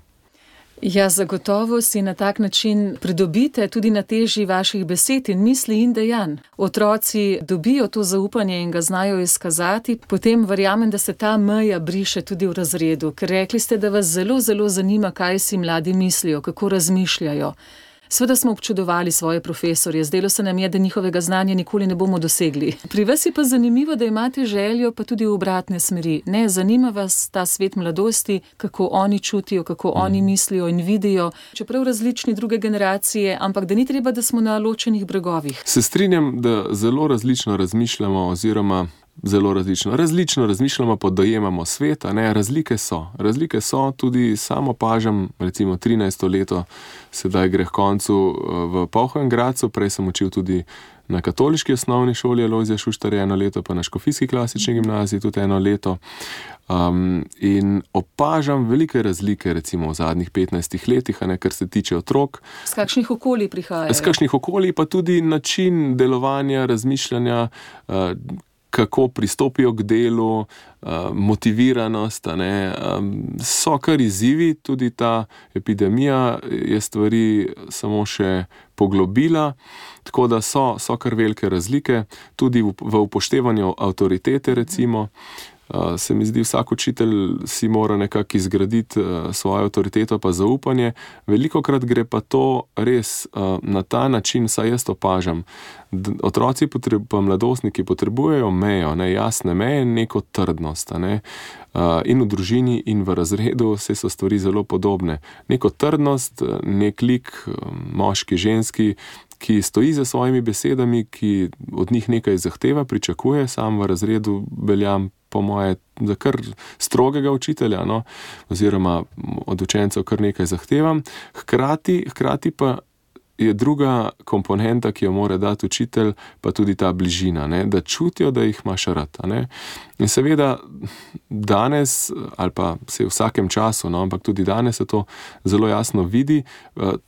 Ja, zagotovo si na tak način pridobite tudi na teži vaših besed in misli in dejanj. Otroci dobijo to zaupanje in ga znajo izkazati, potem verjamem, da se ta meja briše tudi v razredu, ker rekli ste, da vas zelo, zelo zanima, kaj si mladi mislijo, kako razmišljajo. Seveda smo občudovali svoje profesorje, zdelo se nam je, da njihovega znanja nikoli ne bomo dosegli. Pri vas je pa zanimivo, da imate željo pa tudi v obratne smeri. Ne, zanima vas ta svet mladosti, kako oni čutijo, kako mm. oni mislijo in vidijo, čeprav različni druge generacije, ampak da ni treba, da smo na ločenih bregovih. Se strinjam, da zelo različno razmišljamo oziroma Zelo različno. Različno razmišljamo, pa dojemamo svet, a ne, razlike so. Razlike so, tudi sam opažam, recimo trinajsto leto, sedaj gre k koncu v Polhem Gradcu, prej sem učil tudi na katoliški osnovni šoli Alojzija Šuštarja eno leto, pa na Škofijski klasični gimnaziji tudi eno leto. Um, in opažam velike razlike, recimo v zadnjih petnajstih letih, a ne, kar se tiče otrok. Z kakšnih okolij prihajajo? Z kakšnih okolij, pa tudi način delovanja, razmišljanja, uh, kako pristopijo k delu, motiviranost, a ne, so kar izzivi, tudi ta epidemija je stvari samo še poglobila, tako da so, so kar velike razlike, tudi v, v upoštevanju avtoritete, recimo. Uh, se mi zdi, vsak učitelj si mora nekako izgraditi uh, svojo avtoriteto pa zaupanje. Velikokrat gre pa to res uh, na ta način, saj jaz opažam. D- otroci potreb- pa mladostniki potrebujejo mejo, ne, jasne meje, neko trdnost. Ne. Uh, in v družini in v razredu vse so stvari zelo podobne. Neko trdnost, nek lik, moški, ženski, ki stoji za svojimi besedami, ki od njih nekaj zahteva, pričakuje, sam v razredu veljam po moje za kar strogega učitelja, no, oziroma od učencev kar nekaj zahtevam. Hkrati, hkrati pa je druga komponenta, ki jo mora dati učitelj, pa tudi ta bližina, ne, da čutijo, da jih imaš rad. Ne. In seveda danes, ali pa se v vsakem času, no, ampak tudi danes se to zelo jasno vidi,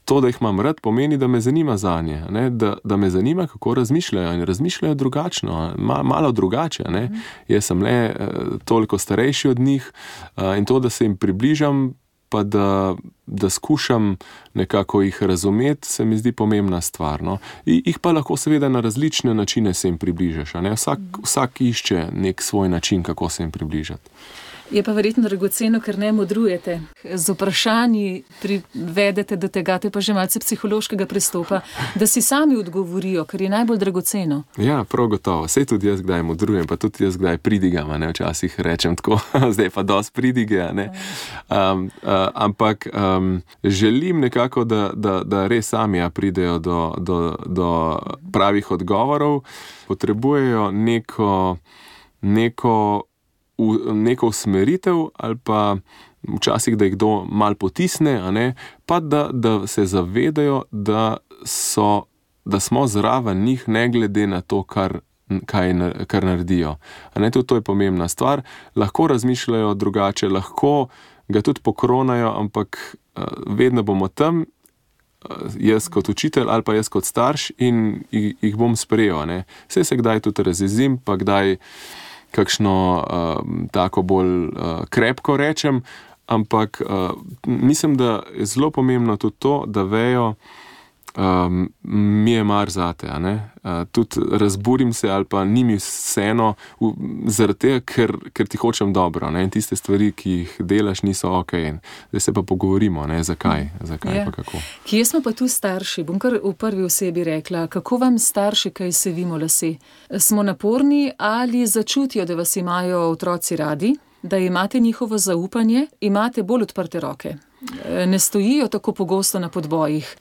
to, da jih imam rad, pomeni, da me zanima zanje, ne, da, da me zanima, kako razmišljajo in razmišljajo drugačno, ma, malo drugače. Ne. Mm. Jaz sem le toliko starejši od njih in to, da se jim približam, pa da, da skušam nekako jih razumeti, se mi zdi pomembna stvar. No. I, jih pa lahko seveda na različne načine se jim približaš. A ne? Vsak, vsak išče nek svoj način, kako se jim približati. Je pa verjetno dragoceno, ker ne modrujete. Z vprašanji privedete do tega, to je pa že malce psihološkega pristopa, da si sami odgovorijo, ker je najbolj dragoceno. Ja, prav gotovo. Sej tudi jaz kdaj modrujem, pa tudi jaz kdaj pridigam, ne, včasih rečem tako, zdaj pa dosti pridige, ne. Um, uh, ampak um, želim nekako, da, da, da res sami ja, pridejo do, do, do pravih odgovorov, potrebujejo neko, neko v neko usmeritev ali pa včasih, da jih kdo mal potisne, a ne, pa da, da se zavedajo, da, so, da smo zraven njih ne glede na to, kar, kaj, kar naredijo. A ne, tudi to je pomembna stvar. Lahko razmišljajo drugače, lahko ga tudi pokronajo, ampak uh, vedno bomo tam, uh, jaz kot učitelj ali pa jaz kot starš in jih, jih bom sprejel. Ne. Saj se kdaj tudi razjezim, pa kdaj kakšno uh, tako bolj uh, krepko rečem, ampak uh, mislim, da je zelo pomembno tudi to, da vejo, um, mi je mar zate, a ne? Uh, tudi razburim se ali pa ni mi vseeno zaradi tega, ker, ker ti hočem dobro, ne? In tiste stvari, ki jih delaš, niso ok. Zdaj se pa pogovorimo, ne? Zakaj, zakaj ja. Pa kako. Kje smo pa tu starši? Bom kar v prvi osebi rekla, kako vam starši kaj sevimo lase? Smo naporni ali začutijo, da vas imajo otroci radi, da imate njihovo zaupanje, imate bolj odprte roke? Ne stojijo tako pogosto na podbojih.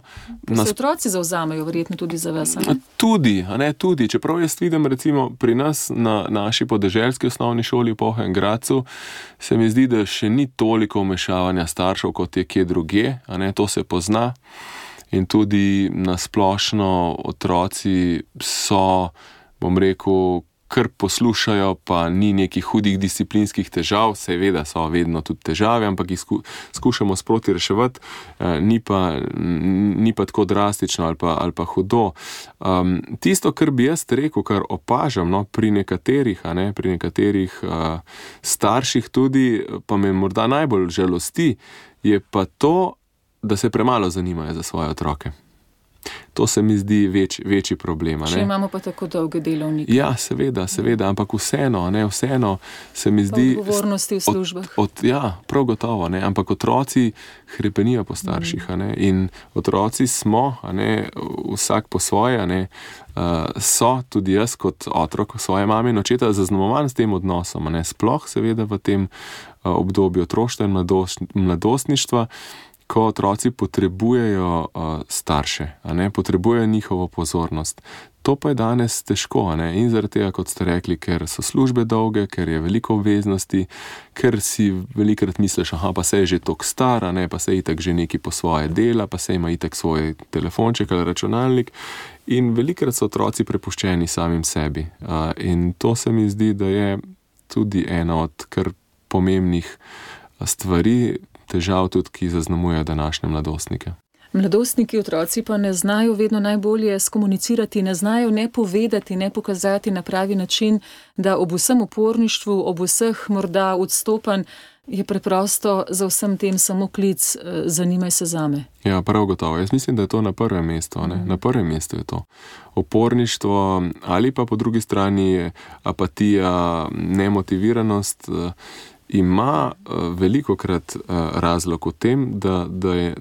Nas... Se otroci zavzamejo verjetno tudi za vas, ne? Tudi, a ne, tudi. Čeprav jaz vidim recimo pri nas na naši podeželski osnovni šoli v Polhem Gradcu, se mi zdi, da še ni toliko vmešavanja staršev, kot je kje drugje, a ne, to se pozna. In tudi na splošno otroci so bom rekel, kar poslušajo, pa ni nekih hudih disciplinskih težav, seveda so vedno tudi težave, ampak jih sku, skušamo sproti reševati, eh, ni, pa, ni pa tako drastično ali pa, ali pa hudo. Um, tisto, kar bi jaz rekel, kar opažam no, pri nekaterih, a ne, pri nekaterih uh, starših tudi, pa me morda najbolj žalosti, je pa to, da se premalo zanimajo za svoje otroke. To se mi zdi več, večji problem. Če imamo pa tako dolge delovnike. Ja, seveda, seveda, ampak vseeno, ne, vseeno se mi zdi... Odgovornosti v službah. Od, od, ja, prav gotovo, ne, ampak otroci hrepenijo po starših, a ne, in otroci smo, a ne, vsak po svoje, a ne, uh, so tudi jaz kot otrok svoje mame in očeta zaznamovan s tem odnosom, a ne, sploh seveda v tem uh, obdobju otroštva in mladost, mladostništva, ko otroci potrebujejo uh, starše, a ne, potrebujejo njihovo pozornost. To pa je danes težko, a ne, in zaradi tega, kot ste rekli, ker so službe dolge, ker je veliko obveznosti, ker si velikrat misliš, aha, pa se je že toliko star, a ne, pa se je itak že neki po svoje dela, pa se ima itak svoj telefonček ali računalnik in velikrat so otroci prepuščeni samim sebi. Uh, in to se mi zdi, da je tudi ena od kar pomembnih stvari, težav tudi, ki zaznamujejo današnje mladostnike. Mladostniki, otroci pa ne znajo vedno najbolje skomunicirati, ne znajo ne povedati, ne pokazati na pravi način, da ob vsem uporništvu, ob vseh morda odstopanj je preprosto za vsem tem samo klic, zanimaj se zame. Ja, prav gotovo. Jaz mislim, da je to na prvem mestu. Ne? Mm. Na prvem mestu je to. Uporništvo ali pa po drugi strani apatija, nemotiviranost, ima velikokrat razlog v tem, da, da je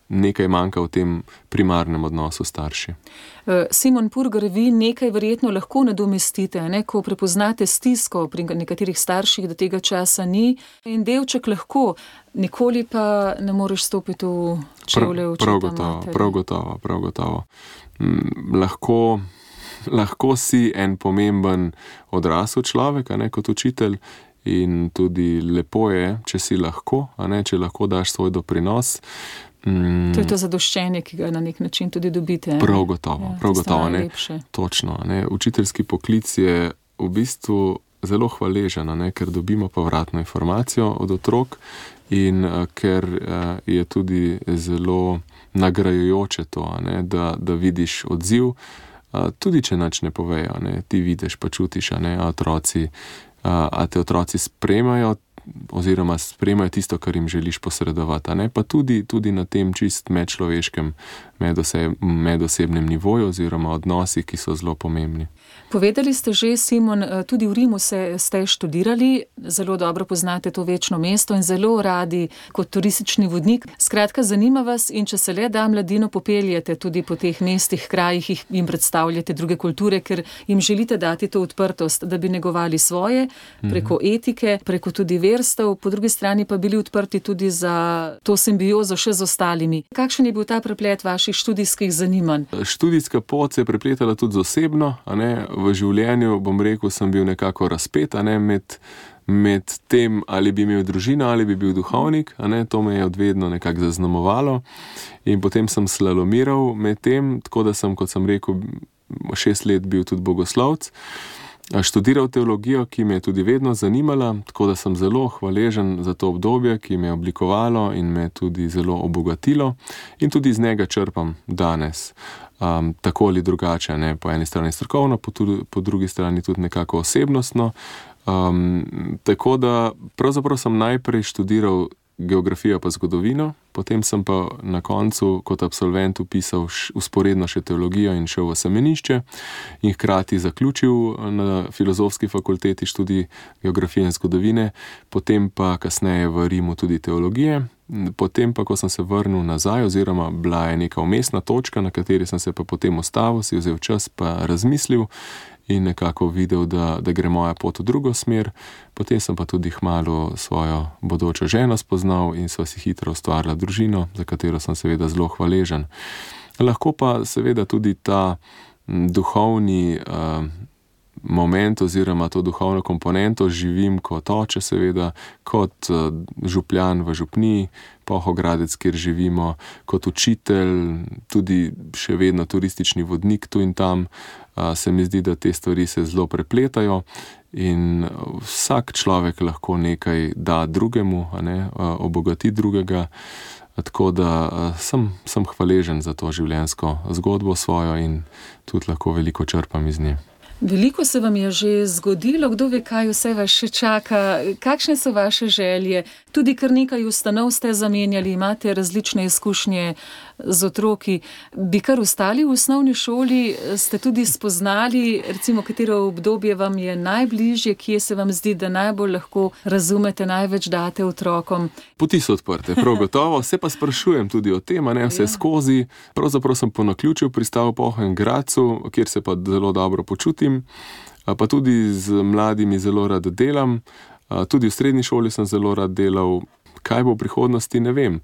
nekaj manjka v tem primarnem odnosu starši. Simon Purgar, vi nekaj verjetno lahko nadomestite, ne? Ko prepoznate stisko pri nekaterih starših, da tega časa ni in delček lahko, nikoli pa ne moreš stopiti v čevlje očeta prav gotovo, matere. Prav gotovo, prav gotovo. Mm, lahko, lahko si en pomemben odrasel človek, a ne, kot učitelj, in tudi lepo je, če si lahko, a ne, če lahko daš svoj doprinos. Mm. To je to zadoščenje, ki ga na nek način tudi dobite. Prav gotovo, ja, prav gotovo, ne. Točno, ne. Učiteljski poklic je v bistvu zelo hvaležen, ne, ker dobimo povratno informacijo od otrok in uh, ker uh, je tudi zelo nagrajujoče to, ne, da, da vidiš odziv, uh, tudi če nič ne povejo, ne, ti vidiš pa čutiš, a ne, a otroci a te otroci sprejmajo oziroma sprejmajo tisto, kar jim želiš posredovati, a ne, pa tudi, tudi na tem čist medčloveškem, medoseb, medosebnem nivoju oziroma odnosih, ki so zelo pomembni. Povedali ste že, Simon, tudi v Rimu se, ste študirali, zelo dobro poznate to večno mesto in zelo radi kot turistični vodnik. Skratka, zanima vas in če se le da mladino popeljete tudi po teh mestih, krajih, jim predstavljate druge kulture, ker jim želite dati to odprtost, da bi negovali svoje preko etike, preko tudi verstev, po drugi strani pa bili odprti tudi za to simbiozo še z ostalimi. Kakšen je bil ta preplet vaših študijskih zanimanj? Študijska pot se je prepletala tudi z osebno, a ne, v življenju, bom rekel, sem bil nekako razpet, a ne, med, med tem, ali bi imel družino, ali bi bil duhovnik, a ne, to me je odvedno nekako zaznamovalo in potem sem slalomiral med tem, tako da sem, kot sem rekel, šest let bil tudi bogoslovec, študiral teologijo, ki me je tudi vedno zanimala, tako da sem zelo hvaležen za to obdobje, ki me je oblikovalo in me tudi zelo obogatilo in tudi iz njega črpam danes. Um, tako ali drugače, ne, po eni strani strokovno, po, tudi, po drugi strani tudi nekako osebnostno. Um, tako da pravzaprav sem najprej študiral geografijo pa zgodovino, potem sem pa na koncu kot absolvent upisal usporedno še teologijo in šel v semenišče in hkrati zaključil na filozofski fakulteti študij geografije in zgodovine, potem pa kasneje v Rimu tudi teologije. Potem pa, ko sem se vrnil nazaj, oziroma bila je neka umestna točka, na kateri sem se pa potem ustavil, si vzel čas pa razmislil in nekako videl, da, da gre moja pot v drugo smer. Potem sem pa tudi kmalu svojo bodočo ženo spoznal in sva si hitro ustvarila družino, za katero sem seveda zelo hvaležen. Lahko pa seveda tudi ta duhovni uh, moment oziroma to duhovno komponento živim kot oče seveda, kot župljan v župniji Pohogradec, kjer živimo, kot učitelj, tudi še vedno turistični vodnik tu in tam. Se mi zdi, da te stvari se zelo prepletajo in vsak človek lahko nekaj da drugemu, a ne, obogati drugega. Tako da sem, sem hvaležen za to življenjsko zgodbo svojo in tudi lahko veliko črpam iz nje. Veliko se vam je že zgodilo, kdo ve, kaj vse vas še čaka, kakšne so vaše želje, tudi kar nekaj ustanov ste zamenjali, imate različne izkušnje z otroki. Bi kar ostali v osnovni šoli, ste tudi spoznali, recimo, katero obdobje vam je najbližje, kje se vam zdi, da najbolj lahko razumete, največ date otrokom? Poti so odprte, prav gotovo, se pa sprašujem tudi o tem, a ne vse ja. skozi. Pravzaprav sem po naključju pristal v Pohengradcu, kjer se pa zelo dobro počutim, pa tudi z mladimi zelo rad delam, tudi v srednji šoli sem zelo rad delal. Kaj bo v prihodnosti, ne vem.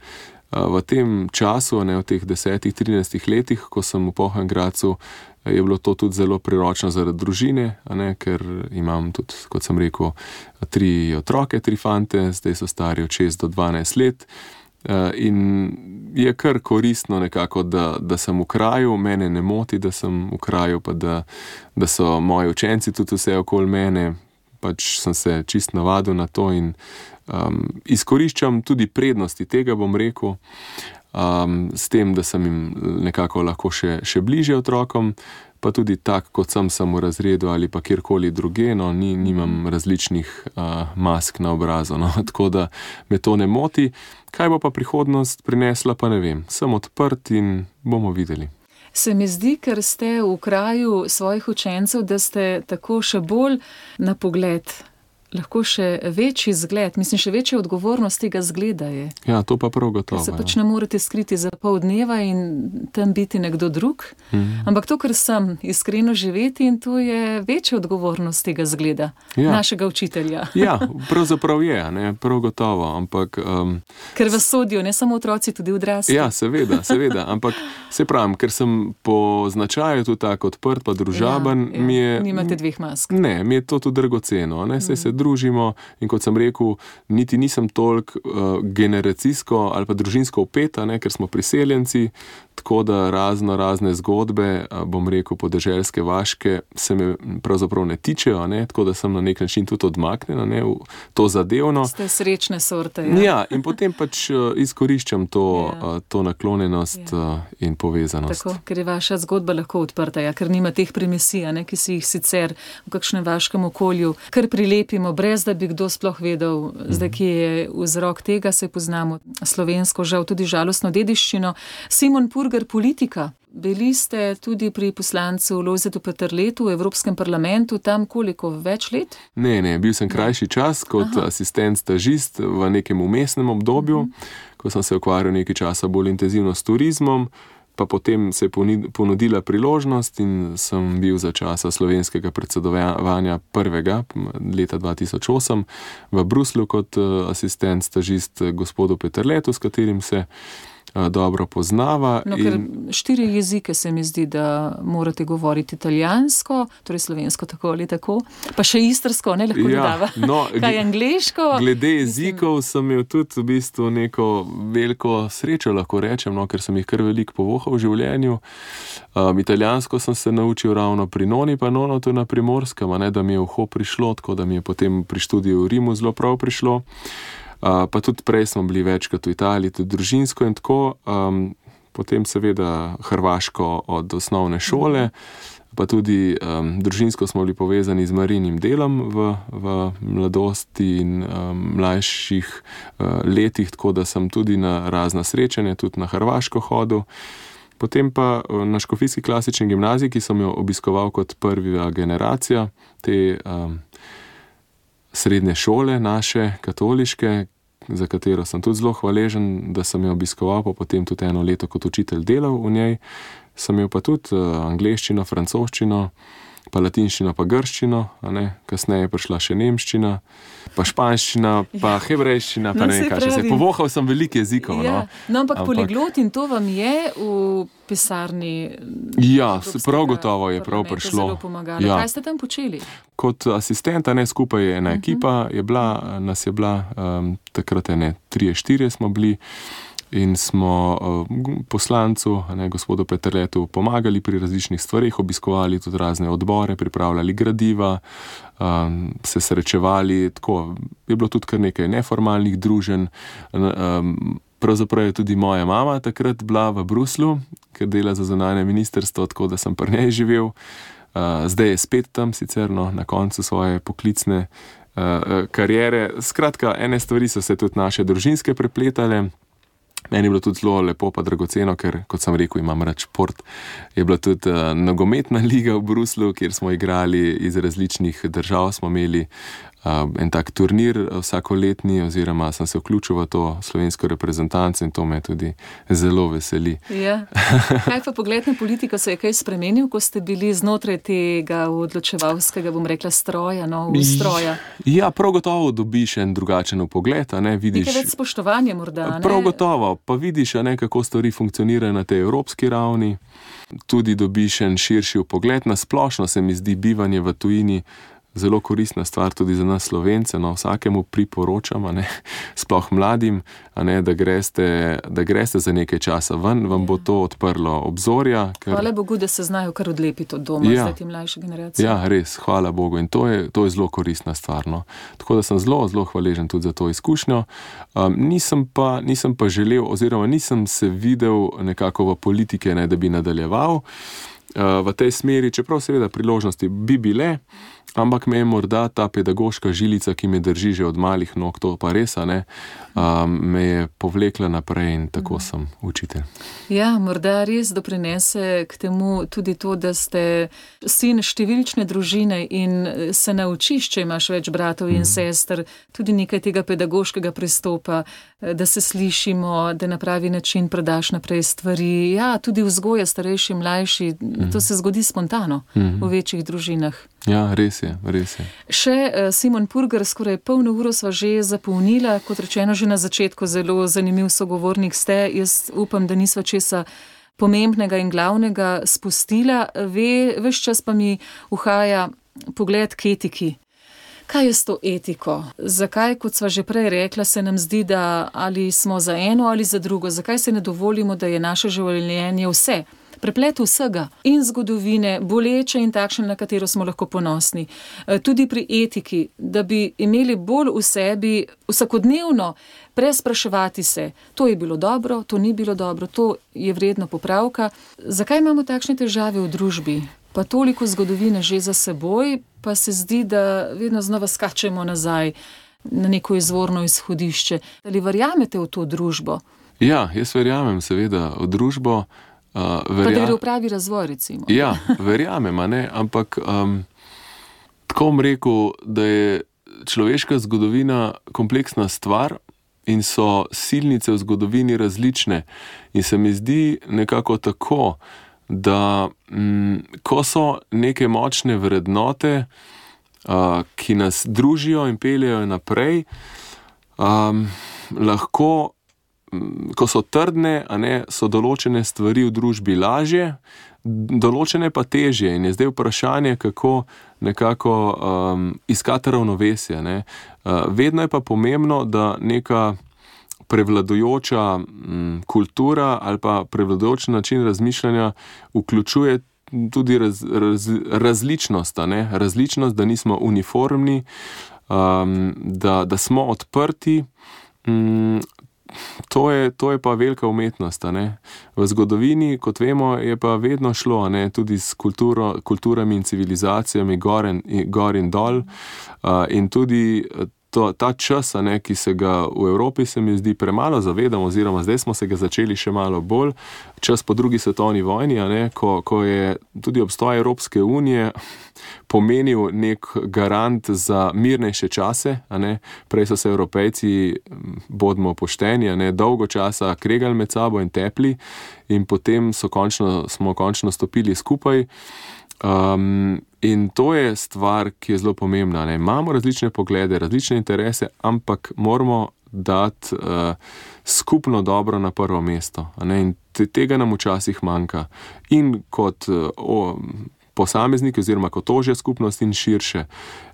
V tem času, ne, v teh desetih, trinajstih letih, ko sem v Pohengradcu, je bilo to tudi zelo priročno zaradi družine, a ne, ker imam tudi, kot sem rekel, tri otroke, tri fante, zdaj so stari od šest do dvanajst let. In je kar koristno nekako, da, da sem v kraju, mene ne moti, da sem v kraju, pa da, da so moji učenci tudi vse okoli mene, pač sem se čist navadil na to in um, izkoriščam tudi prednosti tega, bom rekel, um, s tem, da sem jim nekako lahko še, še bližje otrokom, pa tudi tak, kot sem, sem v razredu ali pa kjerkoli druge, no, ni, nimam različnih uh, mask na obrazu, no, tako da me to ne moti. Kaj bo pa prihodnost prinesla, pa ne vem. Sem odprt in bomo videli. Se mi zdi, ker ste v kraju svojih učencev, da ste tako še bolj na pogled, lahko še večji zgled, mislim, še večja odgovornost tega zgleda je. Ja, to pa prav gotovo. Ker se pač ne morete skriti za pol dneva in tam biti nekdo drug, mm. ampak to, kar sem, iskreno živeti in to je večja odgovornost tega zgleda, ja. našega učitelja. Ja, pravzaprav je, ne, prav gotovo, ampak... Um, ker vas sodijo, ne samo otroci, tudi odrasli. Ja, seveda, seveda, ampak se pravim, ker sem po značaju tudi tako odprt, pa družaben, ja, ja. mi je... Nimate dveh mask. Ne, mi je to tudi dragoceno, ne, se mm. se družimo in kot sem rekel, niti nisem toliko uh, generacijsko ali pa družinsko upeta, ne, ker smo priseljenci, tako da razno razne zgodbe, uh, bom rekel, podeželske, vaške, se me pravzaprav ne tičejo, ne, tako da sem na nek način tudi odmaknjena, ne, v to zadevno. Ste srečne sorte. Ja, ja in potem pač uh, izkoriščam to, ja. uh, to naklonjenost ja. uh, in povezanost. Tako, ker je vaša zgodba lahko odprta, ja, ker nima teh premisij, ne, ki si jih sicer v kakšnem vaškem okolju kar prilepimo, brez da bi kdo sploh vedel, zdaj, ki je vzrok tega, se poznamo slovensko, žal tudi žalostno dediščino. Simon Purger, politika. Bili ste tudi pri poslancu Lojzetu Peterletu v Evropskem parlamentu, tam koliko, več let? Ne, ne, bil sem krajši čas kot Aha. asistent stažist v nekem umestnem obdobju, uh-huh. ko sem se ukvarjal nekaj časa bolj intenzivno s turizmom, pa potem se je ponudila priložnost in sem bil za časa slovenskega predsedovanja prvega leta dva tisoč osem v Bruslju kot asistent stažist gospodu Peterletu, s katerim se dobro poznava. No, ker in... štiri jezike se mi zdi, da morate govoriti italijansko, torej slovensko tako ali tako, pa še istrsko, ne lahko ja, dodava. No, kaj angleško? Glede jezikov sem imel tudi v bistvu neko veliko srečo, lahko rečem, no, ker sem jih kar veliko povohal v življenju. Um, italijansko sem se naučil ravno pri noni, pa nono to na Primorskem, ne, da mi je uho prišlo, tako da mi je potem pri študiju v Rimu zelo prav prišlo. Uh, pa tudi prej smo bili večkrat v Italiji, tudi družinsko in tako, um, potem seveda hrvaško od osnovne šole, pa tudi um, družinsko smo bili povezani z marijnim delom v, v mladosti in um, mlajših uh, letih, tako da sem tudi na razna srečanja, tudi na Hrvaško hodil. Potem pa na Škofijski klasični gimnaziji, ki sem jo obiskoval kot prva generacija, te um, srednje šole naše, katoliške, za katero sem tudi zelo hvaležen, da sem jo obiskoval, pa potem tudi eno leto kot učitelj delal v njej. Sem imel pa tudi angleščino, francoščino, pa latinščino, pa grščino, a ne, kasneje je prišla še nemščina, pa španščina, pa ja. hebrejščina, pa No, ne vem saj kaj, še se pravim. povohal sem veliko jezikov, Ja. no. No, ampak, Ampak- poliglot in to vam je v pisarni. Ja, Evropskega prav gotovo je prav parlamenta prišlo. Zelo pomagalo. Ja. Kaj ste tam počeli? Kot asistenta, ne, skupaj je ena ekipa, je bila, nas je bila, um, takrat je ne, trije, štirje smo bili in smo uh, poslancu, ne, gospodu Peterletu, pomagali pri različnih stvarih, obiskovali tudi razne odbore, pripravljali gradiva, um, se srečevali, tako, je bilo tudi kar nekaj neformalnih druženj. Um, pravzaprav je tudi moja mama takrat bila v Bruslju, ker dela za zunanje ministrstvo, tako da sem pri njej živel. Uh, zdaj je spet tam, sicer no, na koncu svoje poklicne uh, kariere. Skratka, ene stvari so se tudi naše družinske prepletale. Meni je bilo tudi zelo lepo pa dragoceno, ker, kot sem rekel, imam rad šport. Je bila tudi uh, nogometna liga v Bruslju, kjer smo igrali iz različnih držav, smo imeli uh, en tak turnir vsakoletni, oziroma sem se vključil v to slovensko reprezentanco in to me tudi zelo veseli. Ja. Kaj pa pogled na politiko, se je kaj spremenil, ko ste bili znotraj tega odločevalskega, bom rekla, stroja, no, ustroja? Ja, prav gotovo dobiš en drugačen pogled, a ne vidiš. Nekaj več spoštovanja morda, ne? Prav gotovo, pa vidiš, a ne, kako stvari funkcionirajo na tej evropski ravni. Tudi dobiš en širši pogled. Na splošno se mi zdi bivanje v tujini zelo koristna stvar tudi za nas Slovence, no, vsakemu priporočam, a ne, sploh mladim, a ne, da greste, da greste za nekaj časa ven, vam bo to odprlo obzorja. Ker... Hvala Bogu, da se znajo kar odlepiti od doma, Ja. zdaj ti mlajše generacije. Ja, res, hvala Bogu, in to je, to je zelo koristna stvar, no. Tako da sem zelo, zelo hvaležen tudi za to izkušnjo. Um, nisem pa, nisem pa želel, oziroma nisem se videl nekako v politike, ne, da bi nadaljeval uh, v tej smeri, čeprav seveda priložnosti bi bile, ampak me je morda ta pedagoška žilica, ki me drži že od malih nog, to pa res, a ne, um, me je povlekla naprej in tako sem učitelj. Ja, morda res doprinese k temu tudi to, da ste sin številčne družine in se naučiš, če imaš več bratov in sester, tudi nekaj tega pedagoškega pristopa, da se slišimo, da na pravi način predaš naprej stvari. Ja, tudi vzgoja starejši, mlajši, to se zgodi spontano v večjih družinah. Ja, res je, res je. Še uh, Simon Purger, skoraj polno uro sva že zapolnila, kot rečeno že na začetku, zelo zanimiv sogovornik ste. Jaz upam, da nisva česa pomembnega in glavnega spustila. Ve, ves čas pa mi uhaja pogled k etiki. Kaj je s to etiko? Zakaj, kot sva že prej rekla, se nam zdi, da ali smo za eno ali za drugo? Zakaj se ne dovolimo, da je naše življenje vse? Preplet vsega in zgodovine, boleče in takšne, na katero smo lahko ponosni. Tudi pri etiki, da bi imeli bolj v sebi vsakodnevno prespraševati se, to je bilo dobro, to ni bilo dobro, to je vredno popravka. Zakaj imamo takšne težave v družbi? Pa toliko zgodovine že za seboj, pa se zdi, da vedno znova skačemo nazaj na neko izvorno izhodišče. Ali verjamete v to družbo? Ja, jaz verjamem seveda v družbo. Uh, verja... Pa da gre v pravi razvoj, recimo. Ja, verjamem, a ne, ampak um, tako bom rekel, da je človeška zgodovina kompleksna stvar in so silnice v zgodovini različne. In se mi zdi nekako tako, da m, ko so neke močne vrednote, uh, ki nas družijo in peljejo naprej, um, lahko ko so trdne, a ne, so določene stvari v družbi lažje, določene pa težje. In je zdaj vprašanje, kako nekako um, iskati ravnovesje. Ne. Uh, vedno je pa pomembno, da neka prevladujoča um, kultura ali pa prevladujoč način razmišljanja vključuje tudi raz, raz, različnost, a ne. Različnost, da nismo uniformni, um, da, da smo odprti. Um, To je, to je pa velika umetnost, a ne. V zgodovini, kot vemo, je pa vedno šlo, a ne, tudi s kulturo, kulturami in civilizacijami gor in, gor in dol. Uh, in tudi to, ta čas, a ne, ki se ga v Evropi, se mi zdi, premalo zavedamo, oziroma zdaj smo se ga začeli še malo bolj. Čas po drugi svetovni vojni, a ne, ko, ko je tudi obstoj Evropske unije pomenil nek garant za mirnejše čase, a ne. Prej so se Evropejci, bodimo pošteni, a ne, dolgo časa kregali med sabo in tepli in potem so končno, smo končno stopili skupaj. Um, In to je stvar, ki je zelo pomembna. Ne? Imamo različne poglede, različne interese, ampak moramo dati uh, skupno dobro na prvo mesto. Ne? In te, tega nam včasih manjka. In kot uh, o, posamezniki oziroma kot ožja skupnost in širše.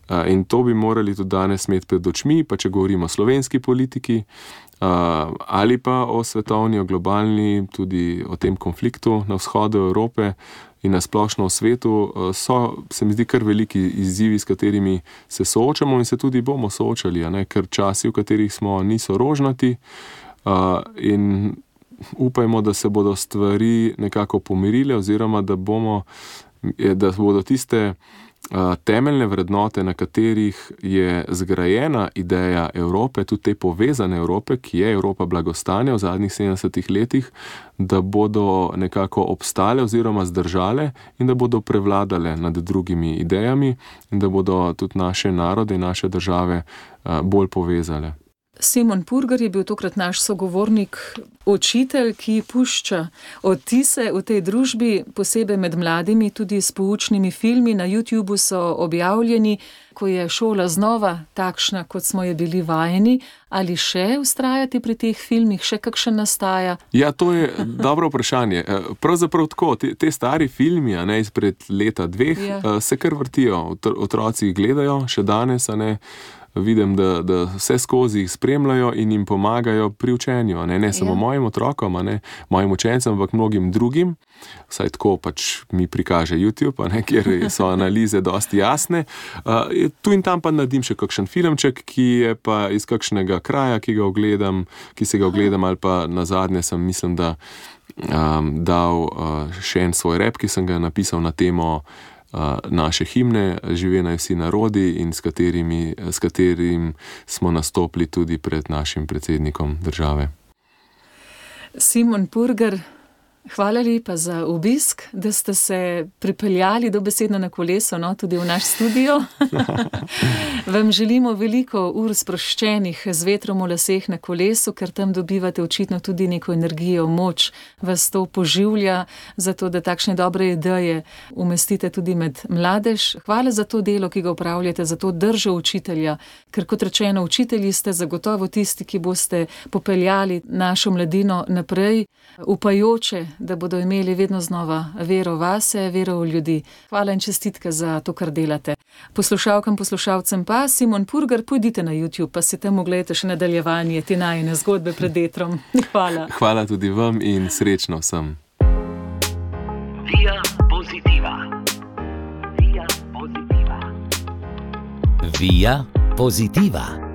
Uh, in to bi morali tudi danes imeti pred očmi, pa če govorimo o slovenski politiki, Uh, ali pa o svetovni, o globalni, tudi o tem konfliktu na vzhodu Evrope in na splošno v svetu, uh, so, se mi zdi, kar veliki izzivi, s katerimi se soočamo in se tudi bomo soočali, a ne? Ker časi, v katerih smo, niso rožnati uh, in upajmo, da se bodo stvari nekako pomirile oziroma da bomo, da bodo tiste Uh, temeljne vrednote, na katerih je zgrajena ideja Evrope, tudi te povezane Evrope, ki je Evropa blagostanja v zadnjih sedemdesetih letih, da bodo nekako obstale oziroma zdržale in da bodo prevladale nad drugimi idejami in da bodo tudi naše narode in naše države uh, bolj povezale. Simon Purgar je bil tokrat naš sogovornik, učitelj, ki pušča odtise v tej družbi, posebej med mladimi, tudi s poučnimi filmi. Na YouTubu so objavljeni, ko je šola znova takšna, kot smo je bili vajeni. Ali še vztrajati pri teh filmih, še kakšen nastaja? Ja, to je dobro vprašanje. Pravzaprav tako, te, te stari filmi, a ne, izpred leta dveh, ja. Se kar vrtijo, otroci jih gledajo še danes, a ne. Vidim, da, da vse skozi jih spremljajo in jim pomagajo pri učenju. Ne, ne samo ja. mojim otrokom, ne, mojim učencem, ampak mnogim drugim. Vsaj tako pač mi prikaže YouTube, ne, kjer so analize dosti jasne. Uh, tu in tam pa naredim še kakšen filmček, ki je pa iz kakšnega kraja, ki ga ogledam, ki se ga ogledam, ali pa nazadnje sem, mislim, da um, dal uh, še en svoj rap, ki sem ga napisal na temo naše himne, Žive naj vsi narodi, in s, katerimi, s katerim smo nastopili tudi pred našim predsednikom države. Simon Purgar, hvala lepa za obisk, da ste se pripeljali dobesedno na kolesu, no, tudi v naš studio. Vam želimo veliko ur sproščenih z vetrom v laseh na kolesu, ker tam dobivate očitno tudi neko energijo, moč, vas to poživlja, zato da takšne dobre ideje umestite tudi med mladež. Hvala za to delo, ki ga upravljate, za to držo učitelja, ker kot rečeno, učitelji ste zagotovo tisti, ki boste popeljali našo mladino naprej, upajoče, da bodo imeli vedno znova vero vase, vero v ljudi. Hvala in čestitke za to, kar delate. Poslušalkam, poslušalcem pa, Simon Purgar, pojdite na YouTube, pa si tam ogledajte še nadaljevanje te najine zgodbe pred etrom. Hvala. Hvala tudi vam in srečno vsem. Via Positiva. Via Positiva. Via Positiva.